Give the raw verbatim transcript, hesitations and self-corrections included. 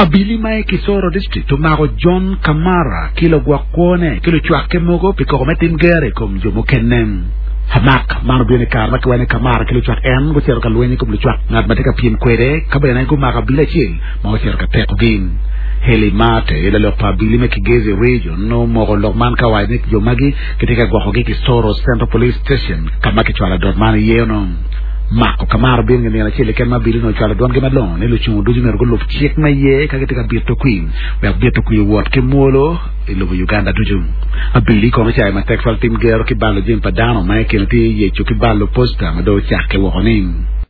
Abili ma i Kisoro District omako John Kamara ki lagwok kwone ki lucwakke mogo pi koko me tim gero i kom jo mukene. Amak man obino i kare ma kiwaco ni Kamara ki lucwak en gucito ka lweny i kom lucwak ngat ma tye ka pyem kwede ka bene gumako abili acel ma ocito ka tekogi. Heli Mate, lalok pa abili me Kigezi Region, omoko lok man ka owaco ni jo magi gitye ka gwokogi i Kisoro Central Police Station ka ma kicwalo adot man iye ono. Mako Kamara obino i nino acel keken ma abili onongo ocwalo dwangi malongo ni lucungu ducu myero gulub cik ma iye ka gitye ka bito kwir wek bito kwir owot ki mwolo i lobo Uganda ducu. Abili kono ocayo matek twal tim gero ki balo jami pa dano ma i kine tye yeco ki balo posta ma dong ocakke woko ni.